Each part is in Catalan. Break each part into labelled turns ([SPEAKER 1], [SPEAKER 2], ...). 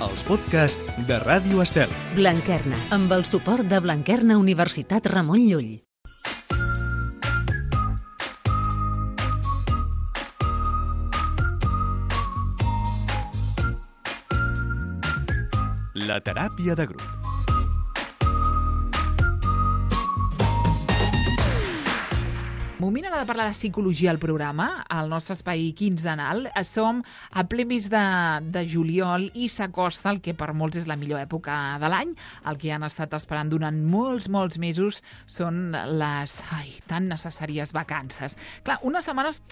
[SPEAKER 1] els podcasts de Ràdio Estel.
[SPEAKER 2] Blanquerna, amb el suport de Blanquerna Universitat Ramon Llull.
[SPEAKER 1] La teràpia de grup.
[SPEAKER 3] Moment ara de parlar de psicologia al programa, al nostre espai quinzenal. Som a ple mes de juliol i s'acosta el que per molts és la millor època de l'any. El que han estat esperant durant molts mesos són les tan necessàries vacances. Clar, unes setmanes,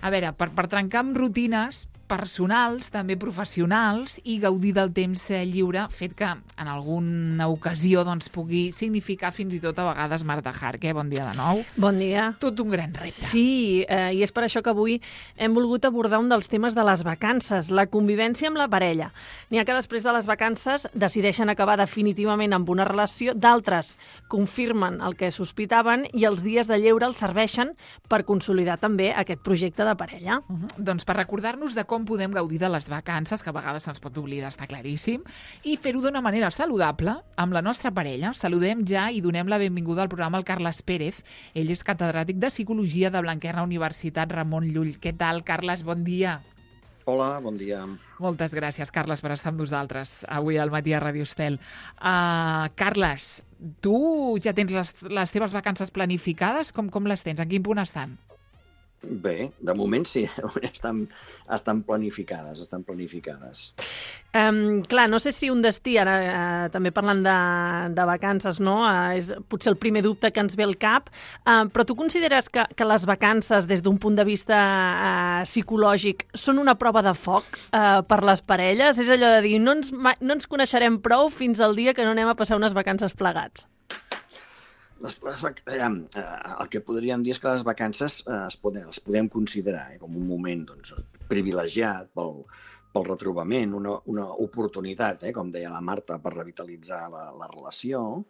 [SPEAKER 3] a veure, per trencar amb rutines personals, també professionals, i gaudir del temps lliure, fet que en alguna ocasió pugui significar fins i tot a vegades Marta Harque. Bon dia de nou.
[SPEAKER 4] Bon dia.
[SPEAKER 3] Tot un gran repte.
[SPEAKER 4] Sí, i és per això que avui hem volgut abordar un dels temes de les vacances, la convivència amb la parella. N'hi ha que després de les vacances decideixen acabar definitivament amb una relació, d'altres confirmen el que sospitaven i els dies de lleure els serveixen per consolidar també aquest projecte de parella.
[SPEAKER 3] Doncs per recordar-nos de com podem gaudir de les vacances, que a vegades se'ns pot oblidar, està claríssim, i fer-ho d'una manera saludable amb la nostra parella. Saludem ja i donem la benvinguda al programa al Carles Pérez. Ell és catedràtic de Psicologia de Blanquerna Universitat Ramon Llull. Què tal, Carles? Bon dia.
[SPEAKER 5] Hola, bon dia.
[SPEAKER 3] Moltes gràcies, Carles, per estar amb nosaltres avui al matí a Ràdio Estel. Carles, tu ja tens les teves vacances planificades? Com les tens? En quin punt estan?
[SPEAKER 5] Bé, de moment sí, estan planificades,
[SPEAKER 4] Clar, no sé si un destí, ara també parlant de vacances, no? És potser el primer dubte que ens ve al cap, però tu consideres que les vacances, des d'un punt de vista psicològic, són una prova de foc per les parelles? És allò de dir, no ens coneixerem prou fins al dia que no anem a passar unes vacances plegats.
[SPEAKER 5] El que podríem dir és que les vacances les podem considerar com un moment privilegiat pel retrobament, una oportunitat, com deia la Marta, per revitalitzar la relació,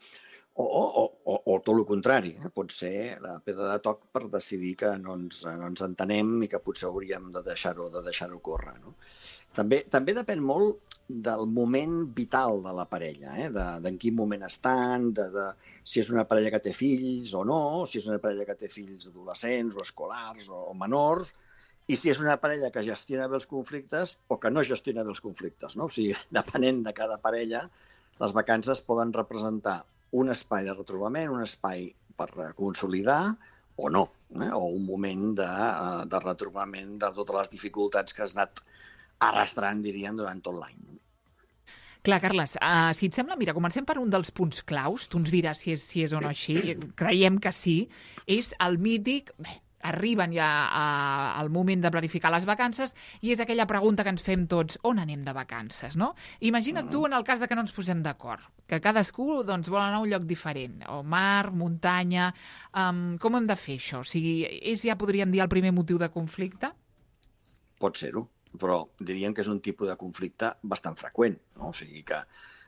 [SPEAKER 5] o tot el contrari. Pot ser la pedra de toc per decidir que no ens entenem i que potser hauríem de deixar-ho córrer. També depèn molt del moment vital de la parella, d'en quin moment estan, de si és una parella que té fills o no, si és una parella que té fills adolescents o escolars o menors, i si és una parella que gestiona bé els conflictes o que no gestiona bé els conflictes. O sigui, depenent de cada parella, les vacances poden representar un espai de retrobament, un espai per consolidar o no, o un moment de retrobament de totes les dificultats que has anat arrastrant, diríem, durant tot l'any.
[SPEAKER 3] Clar, Carles, si et sembla, mira, comencem per un dels punts claus, tu ens diràs si és o no així, creiem que sí, és el mític, arriben ja al moment de planificar les vacances i és aquella pregunta que ens fem tots, on anem de vacances, no? Imagina't tu en el cas de que no ens posem d'acord, que cadascú vol anar a un lloc diferent, o mar, muntanya, com hem de fer això? O sigui, és ja, podríem dir, el primer motiu de conflicte?
[SPEAKER 5] Pot ser-ho, però diríem que és un tipus de conflicte bastant freqüent, no? O sigui que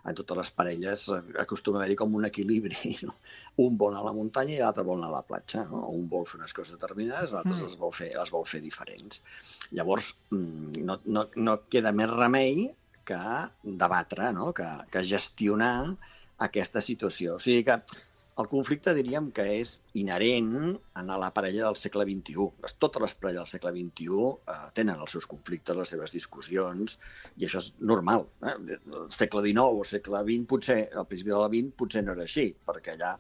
[SPEAKER 5] en totes les parelles acostuma a haver-hi com un equilibri, no? Un vol anar a la muntanya i l'altre vol anar a la platja, no? Un vol fer unes coses determinades, l'altre les vol fer diferents. Llavors, no queda més remei que debatre, no? Que gestionar aquesta situació. O sigui que el conflicte diríem que és inherent a la parella del segle XXI. Totes les parelles del segle XXI tenen els seus conflictes, les seves discussions, i això és normal. El segle XIX o segle XX, potser, al principi del XX, potser no era així, perquè allà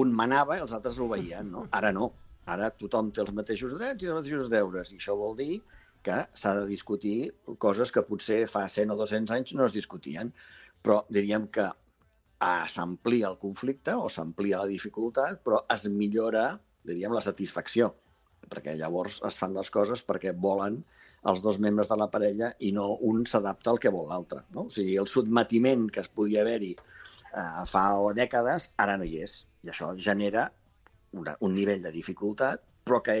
[SPEAKER 5] un manava i els altres obeïen, no? Ara no. Ara tothom té els mateixos drets i els mateixos deures, i això vol dir que s'ha de discutir coses que potser fa 100 o 200 anys no es discutien. Però diríem que s'amplia el conflicte o s'amplia la dificultat, però es millora, diríem, la satisfacció, perquè llavors es fan les coses perquè volen els dos membres de la parella i no un s'adapta al que vol l'altre, no? O sigui, el sotmetiment que es podia haver-hi fa dècades, ara no hi és, i això genera un nivell de dificultat, però que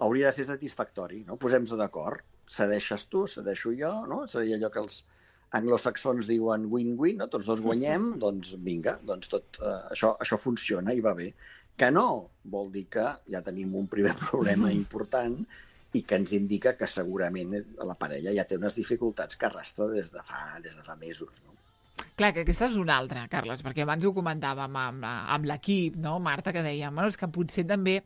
[SPEAKER 5] hauria de ser satisfactori, no? Posem-nos d'acord, cedeixes tu, cedeixo jo, no? Seria allò que els anglosaxons diuen win-win, no? Tots dos guanyem, doncs vinga, doncs tot això funciona i va bé. Que no vol dir que ja tenim un primer problema important, i que ens indica que segurament la parella ja té unes dificultats que arrastra des de fa mesos, no?
[SPEAKER 3] Clar, que aquesta és una altra, Carles, perquè abans ho comentàvem amb l'equip, no, Marta, que dèiem, és que potser també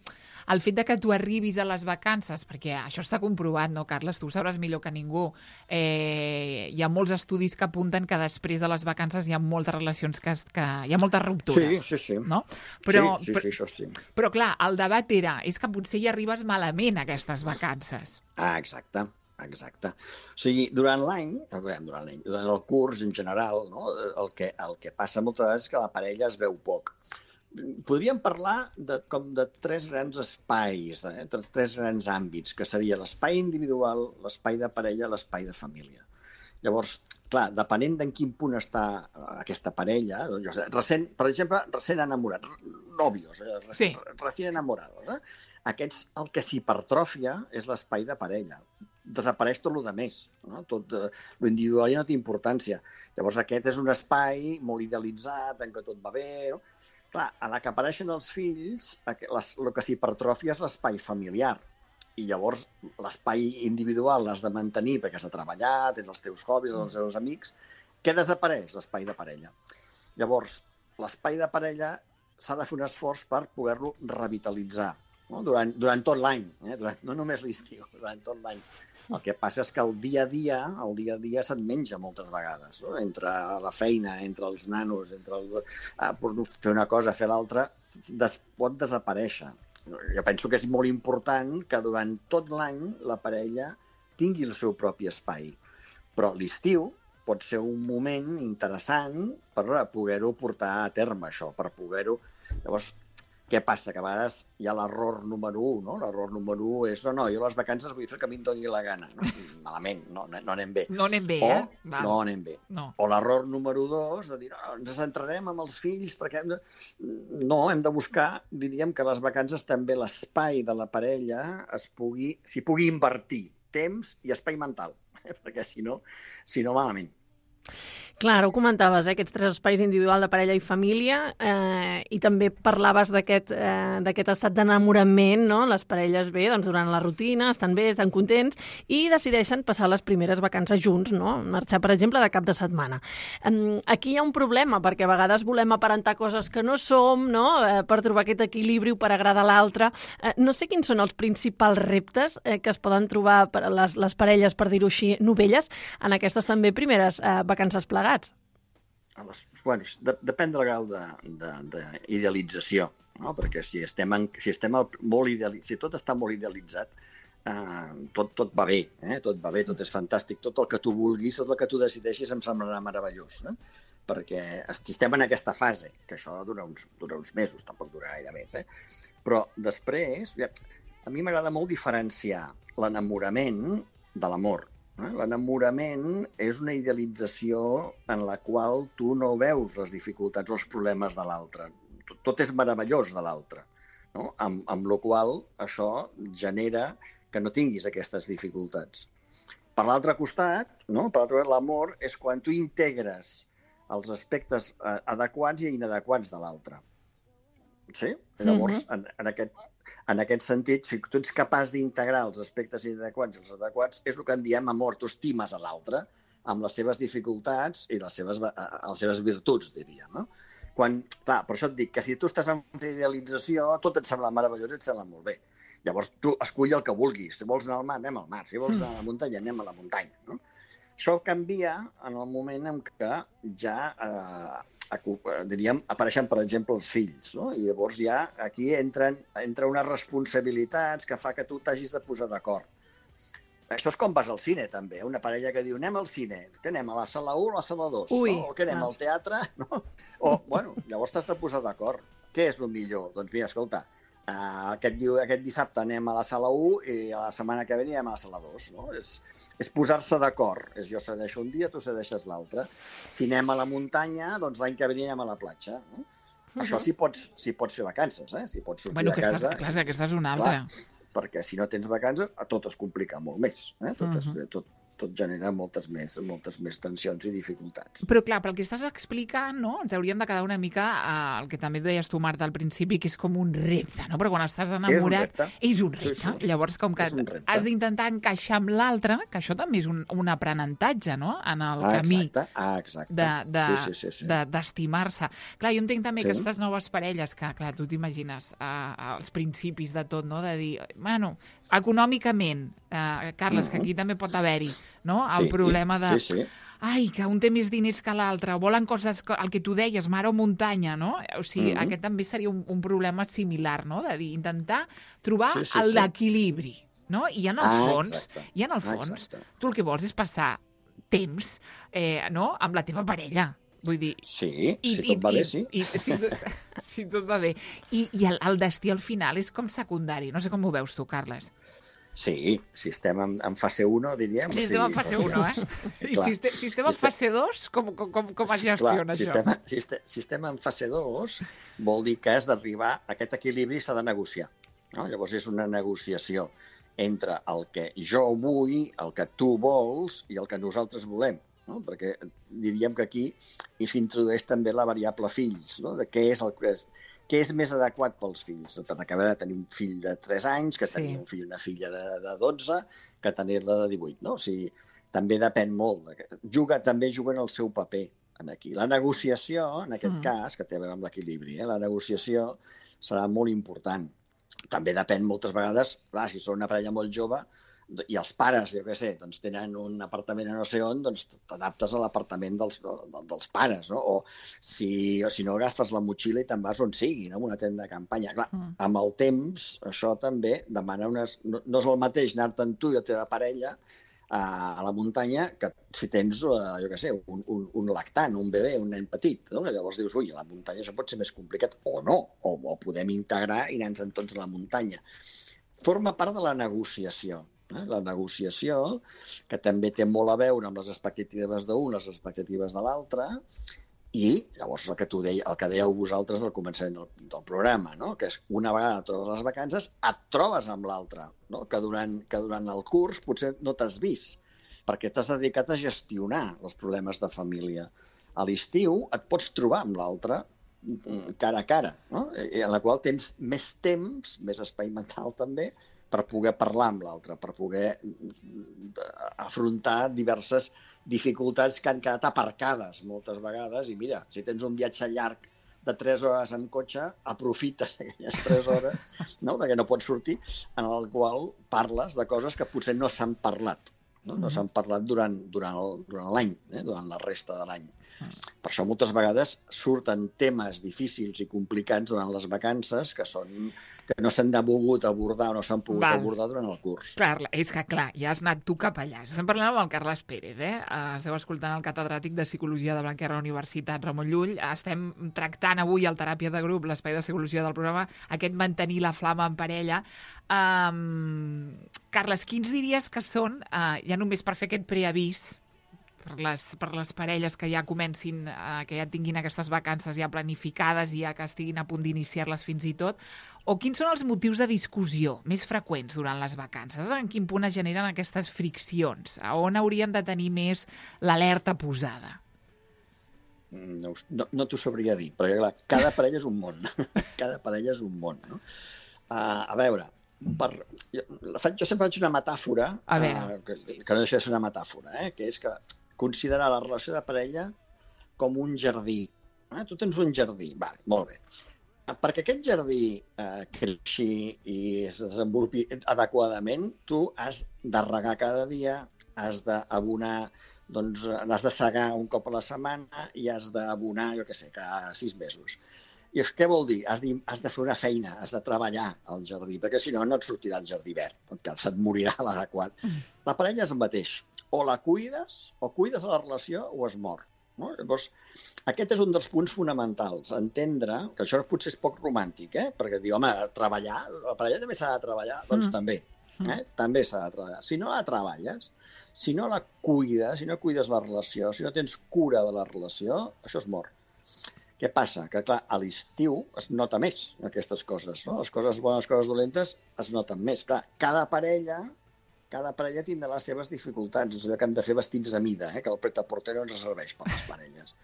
[SPEAKER 3] el fet de que tu arribis a les vacances, perquè això està comprovat, no, Carles? Tu ho sabràs millor que ningú. Hi ha molts estudis que apunten que després de les vacances hi ha moltes relacions hi ha moltes ruptures.
[SPEAKER 5] Sí.
[SPEAKER 3] No? Però,
[SPEAKER 5] sí, això sí.
[SPEAKER 3] Però, clar, el debat és que potser hi arribes malament a aquestes vacances.
[SPEAKER 5] Exacte. O sigui, durant el curs en general, no? el que passa moltes vegades és que la parella es veu poc. Podríem parlar com de 3 grans espais, 3 grans àmbits, que seria l'espai individual, l'espai de parella, l'espai de família. Llavors, clar, depenent d'en quin punt està aquesta parella, per exemple, recent enamorats, nòvios, recient enamorados, aquests, el que s'hipertròfia és l'espai de parella. Desapareix tot el més, no? Tot l'individual ja no té importància. Llavors aquest és un espai molt idealitzat, en què tot va bé, no? Clar, a la que apareixen els fills, el que s'hipertròfia és l'espai familiar. I llavors l'espai individual l'has de mantenir perquè s'ha treballat, tens els teus hobbies, els teus amics. Què desapareix? L'espai de parella. Llavors, l'espai de parella s'ha de fer un esforç per poder-lo revitalitzar, no? Durant tot l'any, no només l'estiu, durant tot l'any. El que passa és que el dia a dia se't menja moltes vegades, no? Entre la feina, entre els nanos, entre fer una cosa, fer l'altra, pot desaparèixer. Jo penso que és molt important que durant tot l'any la parella tingui el seu propi espai. Però l'estiu pot ser un moment interessant per poder-ho portar a terme, això, per poder-ho... Llavors, què passa? Que a vegades hi ha l'error número 1, no? L'error número 1 és, no, jo les vacances vull fer que a mi em doni la gana. No? Malament, no anem bé.
[SPEAKER 3] No anem bé,
[SPEAKER 5] No anem bé.
[SPEAKER 3] No.
[SPEAKER 5] O l'error número 2, de dir, ens centrarem en els fills perquè... No, hem de buscar, diríem que les vacances també l'espai de la parella s'hi pugui invertir temps i espai mental, perquè si no malament.
[SPEAKER 4] Clar, ho comentaves, aquests 3 espais individual de parella i família, i també parlaves d'aquest estat d'enamorament, no? Les parelles bé, doncs durant la rutina, estan bé, estan contents, i decideixen passar les primeres vacances junts, no? Marxar, per exemple, de cap de setmana. Aquí hi ha un problema, perquè a vegades volem aparentar coses que no som, no? Per trobar aquest equilibri o per agradar a l'altre. No sé quins són els principals reptes que es poden trobar per les parelles, per dir-ho així, novelles, en aquestes també primeres vacances plegades.
[SPEAKER 5] Bueno, depèn del grau d'idealització, no? Perquè si tot està molt idealitzat, tot va bé, tot va bé, tot és fantàstic, tot el que tu vulguis, tot el que tu decideixis em semblarà meravellós, no? Perquè estem en aquesta fase, que això dura uns mesos, tampoc dura gaire més, Però després, a mi m'agrada molt diferenciar l'enamorament de l'amor. L'enamorament és una idealització en la qual tu no veus les dificultats o els problemes de l'altre. Tot és meravellós de l'altre, no? Amb la qual això genera que no tinguis aquestes dificultats. Per l'altre costat, l'amor és quan tu integres els aspectes adequats i inadequats de l'altre. Sí? Llavors, en aquest sentit, si tu ets capaç d'integrar els aspectes inadequats i els adequats, és el que en diem amor. Tu estimes a l'altre amb les seves dificultats i les seves virtuts, diríem, no? Clar, per això et dic que si tu estàs en idealització, tot et sembla meravellós i et sembla molt bé. Llavors, tu escull el que vulguis. Si vols anar al mar, anem al mar. Si vols anar a la muntanya, anem a la muntanya, no? Això canvia en el moment en què ja apareixen, per exemple, els fills, no? I llavors ja aquí entra unes responsabilitats que fa que tu t'hagis de posar d'acord. Això és com vas al cine, també. Una parella que diu, anem al cine, que anem a la sala 1 o a la sala 2, no? O que anem al teatre, no? Llavors t'has de posar d'acord. Què és el millor? Doncs mira, escolta, aquest dissabte anem a la sala 1 i la setmana que ve anem a la sala 2, no? És posar-se d'acord. Jo cedeixo un dia, tu cedeixes l'altre. Si anem a la muntanya, doncs l'any que ve anem a la platja, no? Això sí pots fer vacances, Si pots sortir a casa...
[SPEAKER 3] Aquesta és una altra.
[SPEAKER 5] Perquè si no tens vacances, tot es complica molt més. tot genera moltes més tensions i dificultats.
[SPEAKER 3] Però clar, pel que estàs explicant, no? Ens hauríem de quedar una mica el que també deies tu, Marta, al principi, que és com un repte, no? Però quan estàs enamorat és un repte. Sí. Llavors, com que has d'intentar encaixar amb l'altre, que això també és un aprenentatge, no? En el camí d'estimar-se. Clar, jo entenc també que aquestes noves parelles, que clar, tu t'imagines als principis de tot, no? De dir, bueno, econòmicament, Carles, que aquí també pot haver-hi, no? El problema de... Ai, que un té més diners que l'altre, volen coses, el que tu deies, mar o muntanya, no? O sigui, aquest també seria un problema similar, no? De dir, intentar trobar l'equilibri, no? I en el fons, tu el que vols és passar temps, no?, amb la teva parella. Vull dir...
[SPEAKER 5] Sí, si tot va bé, sí.
[SPEAKER 3] Si tot va bé. I el destí al final és com secundari. No sé com ho veus tu, Carles.
[SPEAKER 5] Sí, si estem en fase 1, diríem.
[SPEAKER 3] Si estem en fase 1, I si estem en fase 2, com es gestiona això?
[SPEAKER 5] Si estem en fase 2, vol dir que has d'arribar a aquest equilibri, s'ha de negociar. No? Llavors és una negociació entre el que jo vull, el que tu vols i el que nosaltres volem. No? Perquè diríem que aquí s'introdueix també la variable fills, no? De què és més adequat pels fills. No? Per acabar de tenir un fill de 3 anys, que tenir un fill, una filla de 12, que tenir-la de 18. No? O sigui, també depèn molt. També juguen el seu paper aquí. La negociació, en aquest cas, que té a veure amb l'equilibri, la negociació serà molt important. També depèn moltes vegades, clar, si són una parella molt jove, i els pares, jo què sé, doncs tenen un apartament a no sé on, doncs t'adaptes a l'apartament dels pares, no? O si no agafes la motxilla i te'n vas on sigui, no? Una tenda de campanya. Clar, amb el temps, això també demana no és el mateix anar-te'n tu i la teva parella a la muntanya que si tens, jo què sé, un lactant, un bebè, un nen petit, no? Llavors dius, ui, a la muntanya això pot ser més complicat, o no, o podem integrar i anar-nos tots a la muntanya. Forma part de la negociació. La negociació, que també té molt a veure amb les expectatives d'un, les expectatives de l'altre, i llavors el que dèieu vosaltres al començament del programa, no? Que és una vegada totes les vacances et trobes amb l'altre, no? Que durant el curs potser no t'has vist, perquè t'has dedicat a gestionar els problemes de família. A l'estiu et pots trobar amb l'altre cara a cara, no? En la qual tens més temps, més espai mental també, per poder parlar amb l'altre, per poder afrontar diverses dificultats que han quedat aparcades moltes vegades. I mira, si tens un viatge llarg de 3 hores en cotxe, aprofites aquelles 3 hores, no? Perquè no pots sortir, en el qual parles de coses que potser no s'han parlat. No s'han parlat durant l'any, durant la resta de l'any. Per això moltes vegades surten temes difícils i complicats durant les vacances que no s'han volgut abordar o no s'han pogut abordar durant el curs.
[SPEAKER 3] Clar, és que clar, ja has anat tu cap allà. Estem parlant amb el Carles Pérez, Esteu escoltant el catedràtic de Psicologia de Blanquerna Universitat Ramon Llull. Estem tractant avui al Teràpia de Grup, l'espai de psicologia del programa, aquest mantenir la flama en parella. Carles, quins diries que són, ja només per fer aquest preavís, per les parelles que ja comencin, que ja tinguin aquestes vacances ja planificades i ja que estiguin a punt d'iniciar-les fins i tot, o quins són els motius de discussió més freqüents durant les vacances? En quin punt es generen aquestes friccions? A on hauríem de tenir més l'alerta posada?
[SPEAKER 5] No t'ho sabria dir, perquè clar, cada parella és un món. Cada parella és un món, no? A veure, jo sempre faig una metàfora, que no deixa de ser una metàfora, que és que considerar la relació de parella com un jardí. Tu tens un jardí, molt bé. Perquè aquest jardí creixi i es desenvolupi adequadament, tu has de regar cada dia, has d'abonar, doncs has de segar un cop a la setmana i has d'abonar, jo què sé, cada 6 mesos. I què vol dir? Has de fer una feina, has de treballar al jardí, perquè si no, no et sortirà el jardí verd, se't morirà l'adequat. La parella és el mateix. O la cuides, o cuides la relació, o es mor. No? Llavors, aquest és un dels punts fonamentals, entendre, que això potser és poc romàntic, perquè diu, home, treballar, la parella també s'ha de treballar, doncs també, també s'ha de treballar. Si no la treballes, si no la cuides, si no cuides la relació, si no tens cura de la relació, això es mor. Què passa? Que, clar, a l'estiu es nota més aquestes coses, no? Les coses bones, les coses dolentes es noten més. Clar, cada parella cada parella tindrà les seves dificultats. És allò que hem de fer vestits a mida, que el pret-a-porter no ens serveix per les parelles.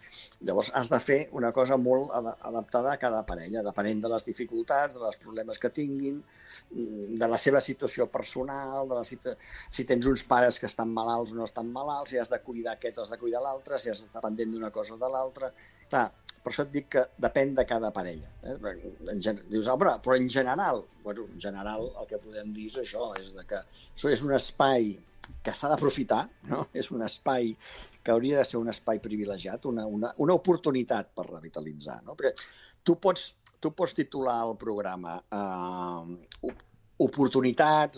[SPEAKER 5] Llavors, has de fer una cosa molt adaptada a cada parella, depenent de les dificultats, dels problemes que tinguin, de la seva situació personal, si tens uns pares que estan malalts o no estan malalts, si has de cuidar aquest o has de cuidar l'altre, si has d'estar pendent d'una cosa o de l'altra. Clar, per això et dic que depèn de cada parella. Dius, però en general, el que podem dir és això, és que això és un espai que s'ha d'aprofitar, no? És un espai que hauria de ser un espai privilegiat, una oportunitat per revitalitzar, no? Perquè tu pots titular el programa Oportunitats,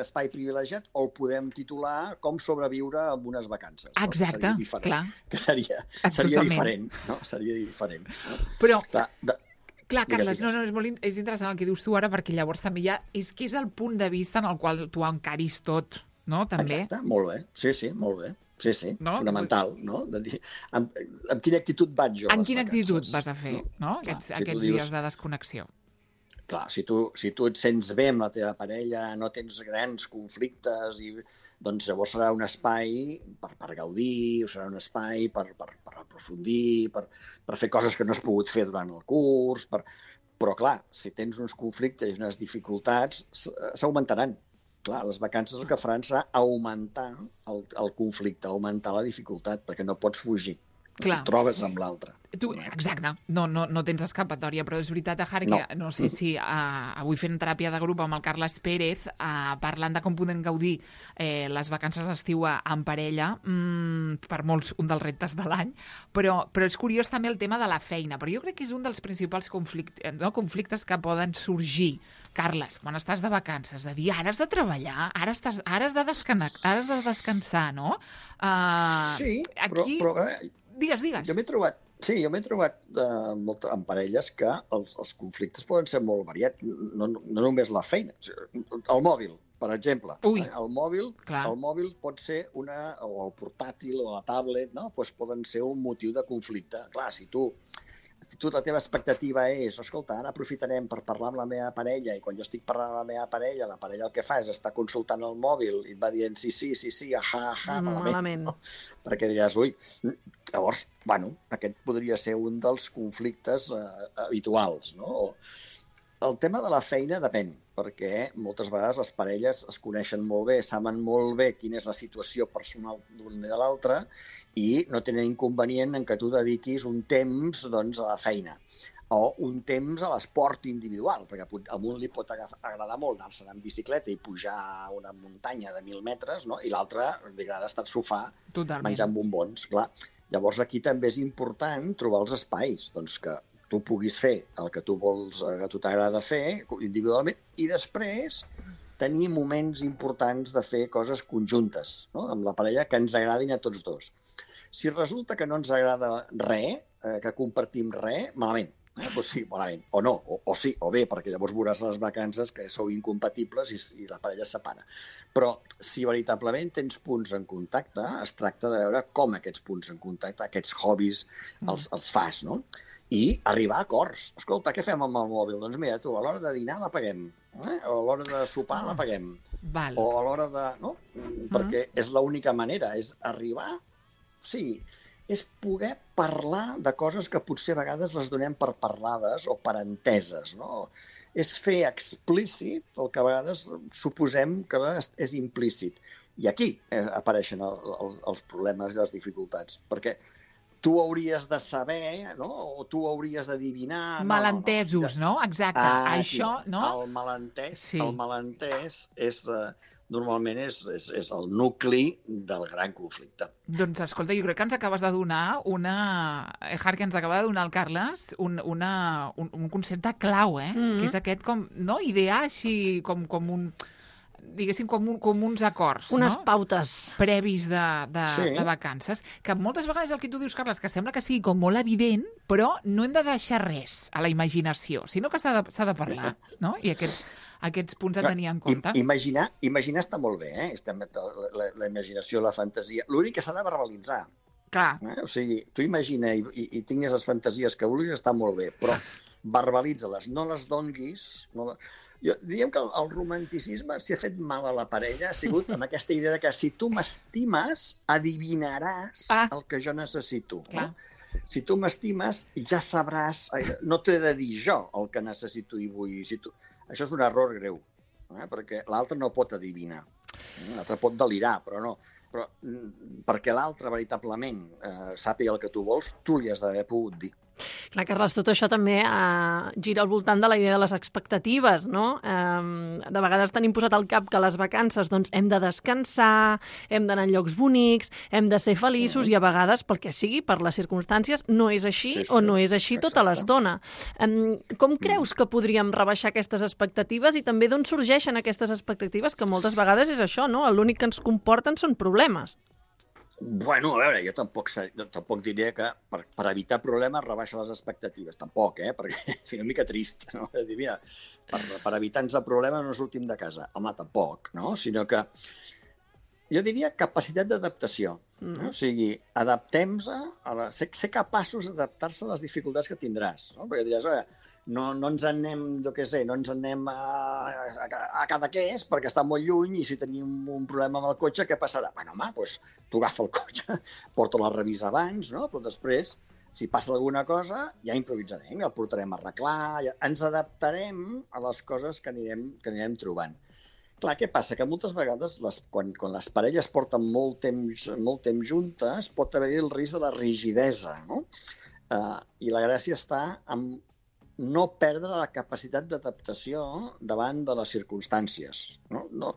[SPEAKER 5] espai privilegiat, o el podem titular Com sobreviure amb unes vacances.
[SPEAKER 3] Exacte, clar.
[SPEAKER 5] Que seria diferent, no? Seria diferent. No?
[SPEAKER 3] Però, clar, Carles, és interessant el que dius tu ara, perquè llavors també és que és el punt de vista en el qual tu encaris tot, no? També.
[SPEAKER 5] Exacte, molt bé. Sí, molt bé. Sí, no? Fonamental, no? De dir, amb quina actitud vaig jo?
[SPEAKER 3] En quina actitud vas a fer, no? Aquests dies de desconnexió.
[SPEAKER 5] Clar, si tu et sents bé amb la teva parella, no tens grans conflictes, doncs llavors serà un espai per gaudir, serà un espai per aprofundir, per fer coses que no has pogut fer durant el curs, però clar, si tens uns conflictes i unes dificultats, s'augmentaran. Clar, les vacances el que faran serà augmentar el conflicte, augmentar la dificultat, perquè no pots fugir.
[SPEAKER 3] Clar.
[SPEAKER 5] Et trobes amb l'altre.
[SPEAKER 3] Exacte, no tens escapatòria, però és veritat, Ahar, que no sé si avui fent teràpia de grup amb el Carles Pérez, parlant de com podem gaudir les vacances d'estiu en parella, per molts un dels reptes de l'any, però és curiós també el tema de la feina, però jo crec que és un dels principals conflictes que poden sorgir, Carles, quan estàs de vacances, de dir, ara has de treballar, ara has de descansar, no?
[SPEAKER 5] Sí, però
[SPEAKER 3] Digues.
[SPEAKER 5] Jo m'he trobat en parelles que els conflictes poden ser molt variats, no només la feina. El mòbil, per exemple. El mòbil pot ser o el portàtil o la tablet, no? Pues poden ser un motiu de conflicte. Clar, si tu la teva expectativa és, escolta, ara aprofitarem per parlar amb la meva parella, i quan jo estic parlant amb la meva parella, la parella el que fa és estar consultant el mòbil i et va dient sí, malament. No? Perquè diràs, llavors, aquest podria ser un dels conflictes habituals, no? El tema de la feina depèn, perquè moltes vegades les parelles es coneixen molt bé, saben molt bé quina és la situació personal d'un i de l'altre i no tenen inconvenient en que tu dediquis un temps a la feina o un temps a l'esport individual, perquè a un li pot agradar molt anar-se'n en bicicleta i pujar a una muntanya de 1.000 metres, no? I l'altre li agrada estar al sofà menjant bombons. Clar. Llavors aquí també és important trobar els espais, doncs que tu puguis fer el que tu vols, que a tu t'agrada fer individualment, i després tenir moments importants de fer coses conjuntes, no? Amb la parella que ens agradin a tots dos. Si resulta que no ens agrada res, que compartim res, malament. Doncs sí, malament. O no, o sí, o bé, perquè llavors veuràs a les vacances que sou incompatibles i la parella es separa. Però si veritablement tens punts en contacte, es tracta de veure com aquests punts en contacte, aquests hobbies, els fas, no? I arribar a acords. Escolta, què fem amb el mòbil? Doncs mira, tu, a l'hora de dinar l'apaguem, o a l'hora de sopar l'apaguem, o a l'hora de... No? Perquè és l'única manera, és arribar... Sí, és poder parlar de coses que potser a vegades les donem per parlades o per enteses, no? És fer explícit el que a vegades suposem que és implícit. I aquí apareixen els problemes i les dificultats, perquè tu hauries de saber, no? O tu hauries d'adivinar...
[SPEAKER 3] Malentesos, no? Exacte. Això, no?
[SPEAKER 5] El malentès és... Normalment és el nucli del gran conflicte.
[SPEAKER 3] Doncs, escolta, jo crec que ens acabes de donar que ens acaba de donar el Carles un concepte clau, que és aquest idear així com un... diguéssim, com uns acords,
[SPEAKER 4] unes pautes
[SPEAKER 3] previs de vacances, que moltes vegades el que tu dius, Carles, que sembla que sigui com molt evident, però no hem de deixar res a la imaginació, sinó que s'ha de parlar, no? I aquests punts a tenir en compte.
[SPEAKER 5] Imaginar està molt bé, la imaginació, la fantasia. L'únic que s'ha de verbalitzar.
[SPEAKER 3] Clar.
[SPEAKER 5] O sigui, tu imagina i tingues les fantasies que vulguis, està molt bé, però verbalitza-les, no les donguis, Diríem que el romanticisme s'hi ha fet mal a la parella, ha sigut amb aquesta idea de que si tu m'estimes, adivinaràs el que jo necessito. No? Si tu m'estimes, ja sabràs... No t'he de dir jo el que necessito i vull. Això és un error greu, perquè l'altre no pot adivinar. L'altre pot delirar, però no. Però perquè l'altre veritablement sàpiga el que tu vols, tu li has d'haver pogut dir.
[SPEAKER 4] Clar, Carles, tot això també gira al voltant de la idea de les expectatives, no? De vegades tenim posat al cap que a les vacances doncs, hem de descansar, hem d'anar a llocs bonics, hem de ser feliços i a vegades, pel que sigui, per les circumstàncies, no és així o no és així tota l'estona. Com creus que podríem rebaixar aquestes expectatives i també d'on sorgeixen aquestes expectatives que moltes vegades és això, no? L'únic que ens comporten són problemes.
[SPEAKER 5] Bueno, a veure, jo tampoc diria que per evitar problemes rebaixa les expectatives. Tampoc, perquè és una mica trist, no? És dir, mira, per evitar-nos problemes no sortim de casa. Home, tampoc, no? Sinó que jo diria capacitat d'adaptació. No? O sigui, adaptem-se, ser capaços d'adaptar-se a les dificultats que tindràs. No? Perquè diràs, no ens en anem, no ens en anem a Cadaqués perquè està molt lluny i si tenim un problema amb el cotxe, què passarà? Bueno, home, doncs tu agafa el cotxe, porta la revisa abans, no? Però després, si passa alguna cosa, ja improvisarem, ja el portarem a arreglar, ens adaptarem a les coses que anirem trobant. Clar, què passa? Que moltes vegades, quan les parelles porten molt temps juntes, pot haver-hi el risc de la rigidesa, no? I la gràcia està en no perdre la capacitat d'adaptació davant de les circumstàncies. No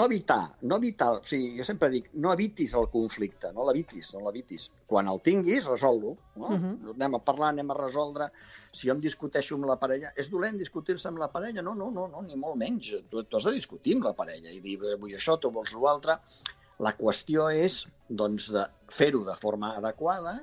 [SPEAKER 5] evitar, o sigui, jo sempre dic, no evitis el conflicte, no l'evitis. Quan el tinguis, resol-lo. Anem a parlar, anem a resoldre. Si jo em discuteixo amb la parella, és dolent discutir-se amb la parella? No, ni molt menys. Tu has de discutir amb la parella i dir, vull això, tu vols l'altre. La qüestió és, doncs, de fer-ho de forma adequada.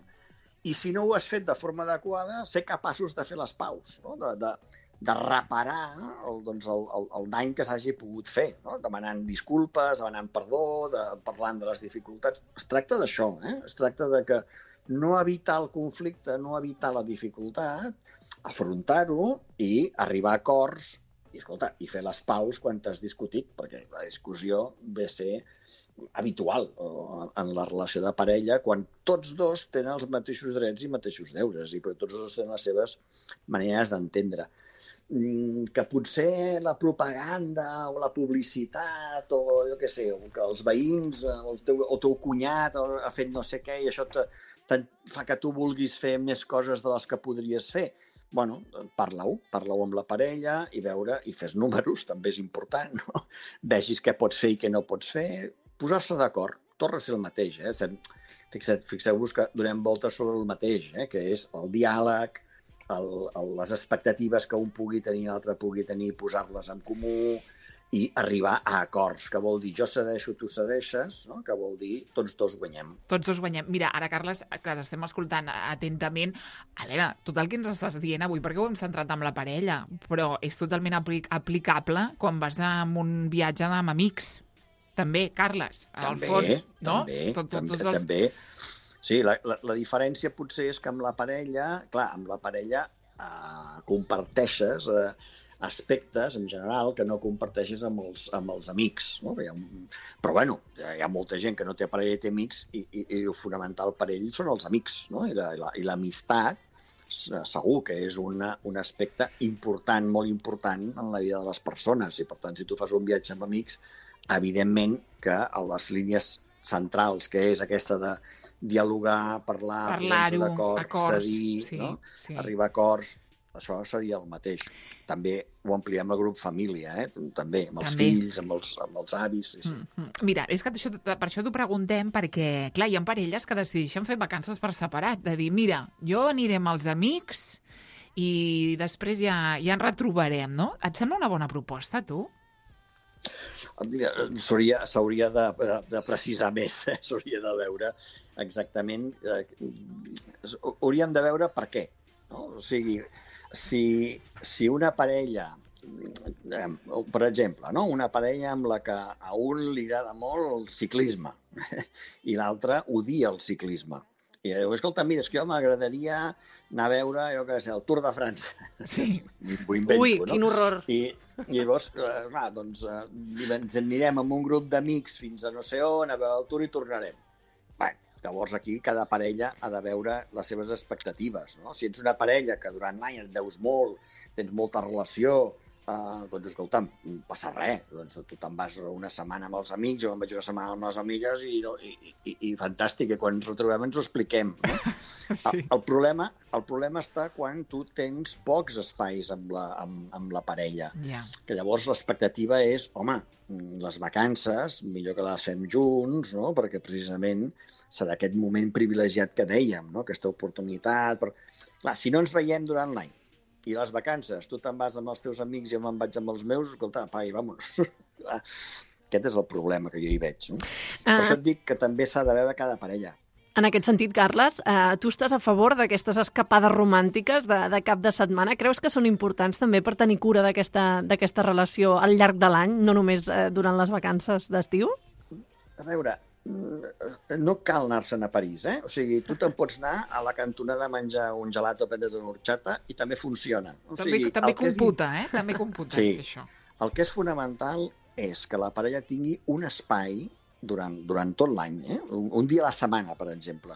[SPEAKER 5] I si no ho has fet de forma adequada, ser capaços de fer les paus, no? De reparar el dany que s'hagi pogut fer, no? Demanant disculpes, demanant perdó, parlant de les dificultats. Es tracta d'això, es tracta de que no evitar el conflicte, no evitar la dificultat, afrontar-ho i arribar a acords i fer les paus quan t'has discutit, perquè la discussió ve a ser habitual en la relació de parella quan tots dos tenen els mateixos drets i mateixos deures i tots dos tenen les seves maneres d'entendre. Que potser la propaganda o la publicitat o jo què sé, que els veïns o el teu cunyat ha fet no sé què i això fa que tu vulguis fer més coses de les que podries fer. Bueno, parla-ho amb la parella i fes números, també és important, no? Vegis què pots fer i què no pots fer. Posar-se d'acord, torna a ser el mateix. Fixeu-vos que donem voltes sobre el mateix, que és el diàleg, les expectatives que un pugui tenir i l'altre pugui tenir, posar-les en comú i arribar a acords, que vol dir jo cedeixo, tu cedeixes, no? Que vol dir tots dos guanyem.
[SPEAKER 3] Tots dos guanyem. Mira, ara, Carles, que t'estem escoltant atentament, a veure, tot el que ens estàs dient avui, perquè ho hem centrat amb la parella, però és totalment aplicable quan vas amb un viatge amb amics. També, Carles, al fons, no?
[SPEAKER 5] També. Sí, la diferència potser és que amb la parella, comparteixes aspectes, en general, que no comparteixes amb els amics. No? Però, bueno, hi ha molta gent que no té parella i té amics i el fonamental per ell són els amics, no? I l'amistat segur que és un aspecte important, molt important en la vida de les persones. I, per tant, si tu fas un viatge amb amics, evidentment que a les línies centrals, que és aquesta de dialogar, parlar-ho d'acord, cedir, sí, no? Sí. Arribar a acords, això seria el mateix. També ho ampliem al grup família, també, amb els fills, amb els avis. Sí.
[SPEAKER 3] Mira, és que per això t'ho preguntem, perquè, clar, hi ha parelles que decideixen fer vacances per separat, de dir, mira, jo aniré amb els amics i després ja ens retrobarem, no? Et sembla una bona proposta, tu?
[SPEAKER 5] S'hauria de precisar més, s'hauria de veure exactament, hauríem de veure per què, no? O sigui, si una parella, per exemple, no? Una parella amb la que a un li agrada molt el ciclisme i l'altre odia el ciclisme I diu, escolta, mira, és que jo m'agradaria anar a veure, jo què sé, el Tour de França.
[SPEAKER 3] Sí.
[SPEAKER 5] Ho invento,
[SPEAKER 4] Ui,
[SPEAKER 5] no?
[SPEAKER 4] quin horror.
[SPEAKER 5] I llavors, clar, doncs, ens anirem amb un grup d'amics fins a no sé on, a veure el Tour i tornarem. Bé, llavors aquí cada parella ha de veure les seves expectatives, no? Si ets una parella que durant l'any et veus molt, tens molta relació, doncs escolta'm, no passa res. Doncs tu te'n vas una setmana amb els amics, jo me'n vaig una setmana amb les amigues i fantàstic, i quan ens retrobem ens ho expliquem. No?
[SPEAKER 3] Sí.
[SPEAKER 5] El problema està quan tu tens pocs espais amb la parella.
[SPEAKER 3] Ja.
[SPEAKER 5] Que llavors l'expectativa és, home, les vacances, millor que les fem junts, no? Perquè precisament serà aquest moment privilegiat que dèiem, no? Aquesta oportunitat. Clar, si no ens veiem durant l'any, i les vacances, tu te'n vas amb els teus amics i jo me'n vaig amb els meus, escolta, apaga i vámonos. Aquest és el problema que jo hi veig. No? Per això et dic que també s'ha de veure cada parella.
[SPEAKER 4] En aquest sentit, Carles, tu estàs a favor d'aquestes escapades romàntiques de cap de setmana? Creus que són importants també per tenir cura d'aquesta relació al llarg de l'any, no només durant les vacances d'estiu?
[SPEAKER 5] A veure, no cal anar-se'n a París, eh? O sigui, tu te'n pots anar a la cantonada a menjar un gelato o prendre't una horchata i també funciona. O sigui,
[SPEAKER 3] També computa, També computa,
[SPEAKER 5] Sí.
[SPEAKER 3] això.
[SPEAKER 5] El que és fonamental és que la parella tingui un espai durant tot l'any, un dia a la setmana, per exemple,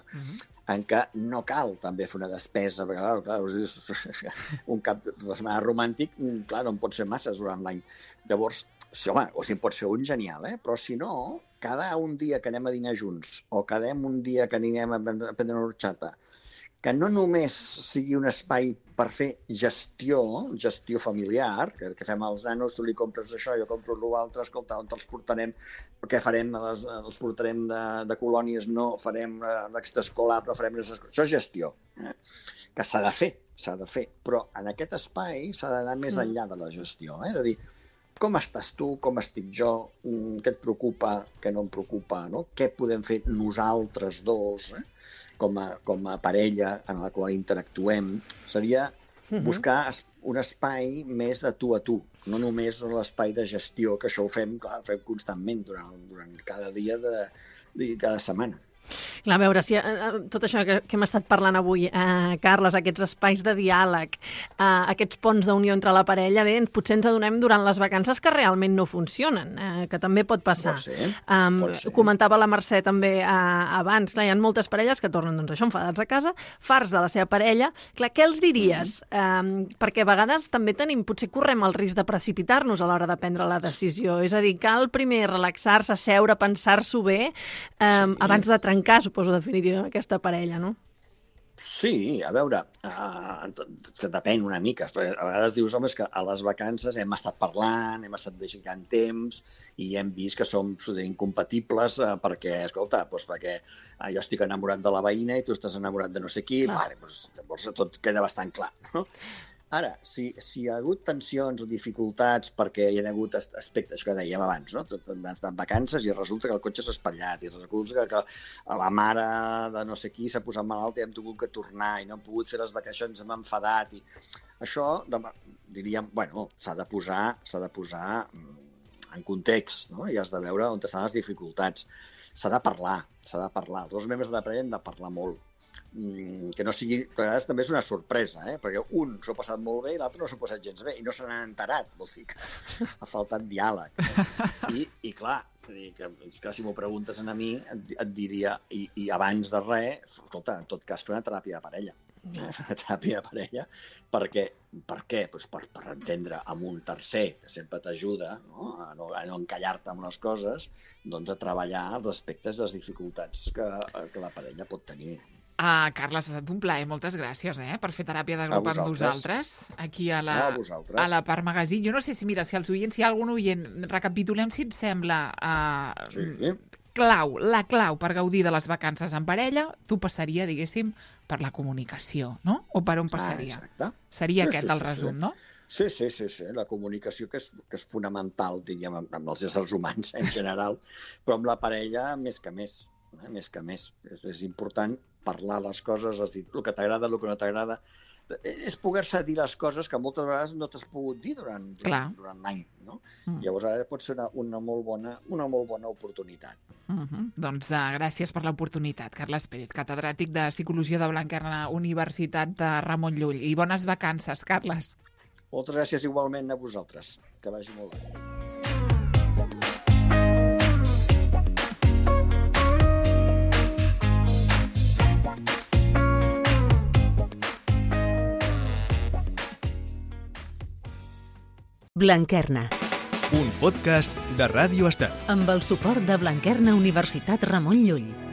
[SPEAKER 5] en què no cal també fer una despesa, perquè clar, un cap de setmana romàntic, clar, no en pot ser masses durant l'any. Llavors, sí, home, o si en pots fer un, genial, però si no, cada un dia que anem a dinar junts o cada un dia que anirem a prendre una horchata, que no només sigui un espai per fer gestió familiar, que fem els nanos, tu li compres això, jo compro l'altre, escolta, on els portarem, què farem? Els portarem de colònies, no, farem l'extraescolar, però farem... Això és gestió, que s'ha de fer, però en aquest espai s'ha d'anar més enllà de la gestió, de dir, com estàs tu, com estic jo, què et preocupa, què no em preocupa, no? Què podem fer nosaltres dos, com a parella en la qual interactuem? Seria buscar un espai més de tu a tu, no només l'espai de gestió, que això ho fem constantment durant cada dia de cada setmana.
[SPEAKER 4] Clar, a veure, si tot això que hem estat parlant avui, Carles, aquests espais de diàleg, aquests ponts d'unió entre la parella, bé, potser ens adonem durant les vacances que realment no funcionen, que també pot passar.
[SPEAKER 5] Pot ser.
[SPEAKER 4] Comentava la Mercè també abans, clar, hi ha moltes parelles que tornen, doncs això, enfadats a casa, farts de la seva parella. Clar, què els diries? Perquè a vegades també potser correm el risc de precipitar-nos a l'hora de prendre la decisió. És a dir, cal primer relaxar-se, seure, pensar-s'ho bé, abans de trencar, suposo, definitivament, aquesta parella, no?
[SPEAKER 5] Sí, a veure, que depèn una mica. A vegades dius, home, és que a les vacances hem estat parlant, hem estat dedicant temps i hem vist que som incompatibles perquè, escolta, perquè jo estic enamorat de la veïna i tu estàs enamorat de no sé qui, llavors tot queda bastant clar, no? Ara, si hi ha hagut tensions o dificultats perquè hi ha hagut aspectes que dèiem abans, no? Han estat vacances i resulta que el cotxe s'ha espatllat i resulta que la mare de no sé qui s'ha posat malalt i hem tingut que tornar i no hem pogut fer les vacacions, hem enfadat. Això, diríem, bueno, s'ha de posar en context, no? I has de veure on estan les dificultats. S'ha de parlar. Els dos membres de la parella han de parlar molt. Que no sigui... A vegades també és una sorpresa, perquè un s'ho ha passat molt bé i l'altre no s'ho ha passat gens bé i no se n'ha enterat, vol dir que ha faltat diàleg. I clar, si m'ho preguntes a mi, et diria, i abans de res, escolta, en tot cas, fer una teràpia de parella. Una teràpia de parella, per què? Per entendre amb un tercer, que sempre t'ajuda a no encallar-te amb les coses, doncs a treballar els aspectes, les dificultats que la parella pot tenir.
[SPEAKER 3] Carles, ha estat un plaer, moltes gràcies per fer teràpia de grup amb nosaltres, aquí a la Part Magazine. Jo no sé si els oients, si hi ha algun oient, recapitulem si et sembla la clau per gaudir de les vacances en parella, tu passaria, diguéssim, per la comunicació, no? O per on passaria?
[SPEAKER 5] Exacte.
[SPEAKER 3] Seria aquest el resum, no?
[SPEAKER 5] Sí, la comunicació que és fonamental, diríem, amb els éssers humans en general, però amb la parella més que més. És important parlar les coses, és dir, el que t'agrada, el que no t'agrada. és poder-se dir les coses que moltes vegades no t'has pogut dir durant l'any, no? Llavors ara pot ser una molt bona oportunitat.
[SPEAKER 3] Doncs gràcies per l'oportunitat, Carles Pérez, catedràtic de Psicologia de Blanquerna, Universitat de Ramon Llull. I bones vacances, Carles.
[SPEAKER 5] Moltes gràcies igualment a vosaltres. Que vagi molt bé.
[SPEAKER 2] Blanquerna,
[SPEAKER 1] Un podcast de Ràdio Estel.
[SPEAKER 2] amb el suport de Blanquerna Universitat Ramon Llull.